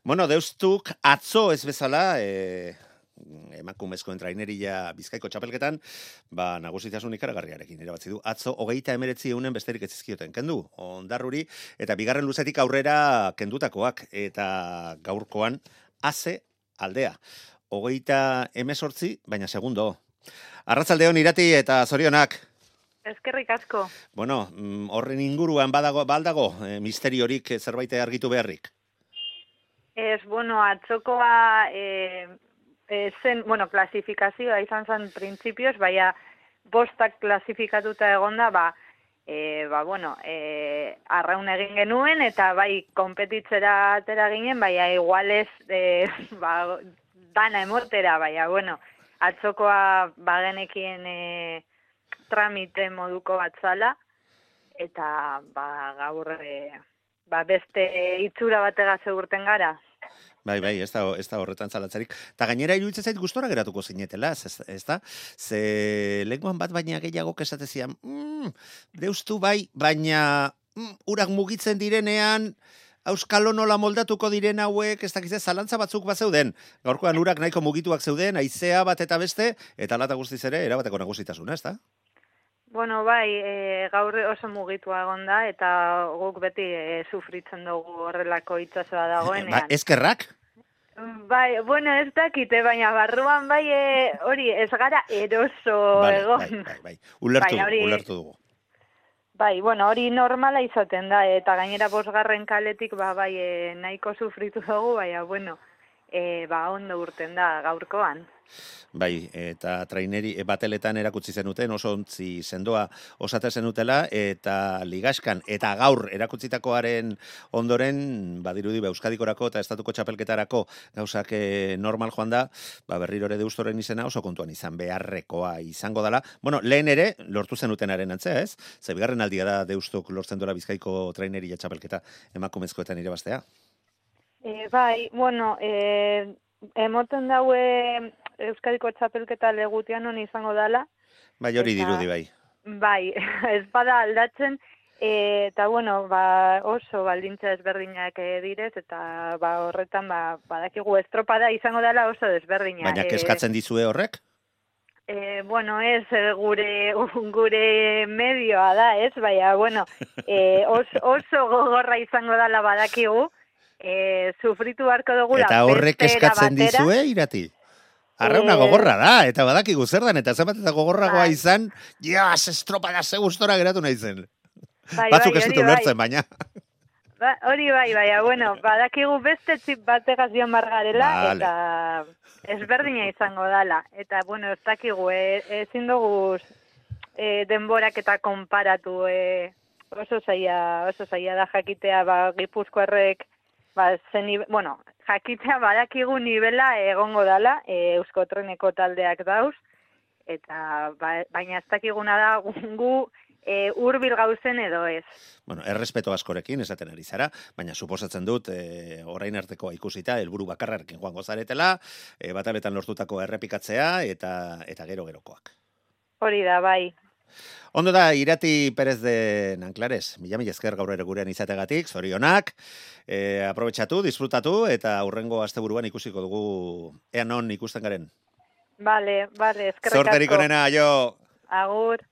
Bueno, deustuk atzo ez bezala, emakumezkoen traineria Bizkaiko txapelketan, nagusitasun ikaragarriarekin irabazi du. Atzo 39 besterik ez zizkioten kendu. Ondarruri eta bigarren luzetik aurrera kendutakoak eta gaurkoan ase aldea. 38, baina segundo. Arratsaldeon Irati eta zorionak. Eskerrik asko. Bueno, horren inguruan baldago misteriorik zerbait argitu beharrik. Atzokoa zen, klasifikazioa izan zen printzipioz, baina bostak klasifikatuta egonda, arraun egin genuen, eta bai, konpetitzera atera ginen, baina igualez, dana emotera, atzokoa bagenekien tramite moduko bat zala, eta gaur beste itxura batega segurten gara. Bai, ez da horretan zalatzarik. Ta gainera iruditzen zait gustora geratuko zinetela, ez da? Ze lenguan bat baina gehiago esatezian, deustu bai, baina urak mugitzen direnean, auskalo nola moldatuko diren hauek, ez dakize, zalantza batzuk bat zeuden. Gaurkoan urak nahiko mugituak zeuden, haizea bat eta beste, eta alata guztiz ere, erabateko nagusitasuna, ez da? Gaur oso mugitua egon da, eta guk beti sufritzen dugu horrelako itsasoa dagoenean. Eskerrak? Ez dakite, baina barruan hori ez gara eroso egon. Ulertu dugu. Hori normala izaten da, eta gainera 5. kaletik nahiko sufritu dugu, ondo urten da gaurkoan. Eta traineri bateletan erakutsi zenuten, oso ontzi sendoa osate zenutela, eta ligaskan, eta gaur erakutsitakoaren ondoren, badirudi Euskadikorako eta Estatuko txapelketarako gauzak normal joan da, berriro ere deustoren izena oso kontuan izan beharrekoa izango dela. Lehen ere, lortu zenutenaren antzea, ez? Ze bigarren aldia da deustok lortzen dola Bizkaiko traineria txapelketa emakumezkoetan irabaztea. Emoten daue Euskadiko txapelketa legutian honi izango dala. Hori dirudi, Ez bada aldatzen, eta oso baldintza ezberdinak direz, eta horretan badakigu estropada izango dela oso desberdina. Baina keskatzen dizue horrek? Ez gure medioa da, ez? Oso gogorra izango dela badakigu, sufritu beharko dugula. Eta horrek eskatzen dizue, Irati? Arrauna gogorra da, eta badakigu zer dan, eta zenbat eta gogorragoa izan, estropada ze gustora geratu nahi zen. Batzuk ez dut ulertzen, baina. Badakigu beste txip bategaz dion bargarela, eta ezberdina izango dala. Eta, ez dakigu, ezin dugu denborak eta konparatu, oso zaila da jakitea, Gipuzkoarrek, jakitea badakigu nivela egongo dala, Euskotreneko taldeak dauz, eta baina ez dakiguna da gu hurbil gauzen edo ez. Errespeto askorekin esaten ari zara, baina suposatzen dut orain arteko ikusita helburu bakarrarekin joango zaretela, bataletan lortutako errepikatzea eta gero-gerokoak. Hori da, bai. Ondo da, Irati Pérez de Nanclares, mila esker gaur ere gurean izategatik, zorionak, aprobetxatu, disfrutatu, eta hurrengo asteburuan ikusiko dugu ea non ikusten garen. Eskerrik asko. Zorterik onena, aio! Agur.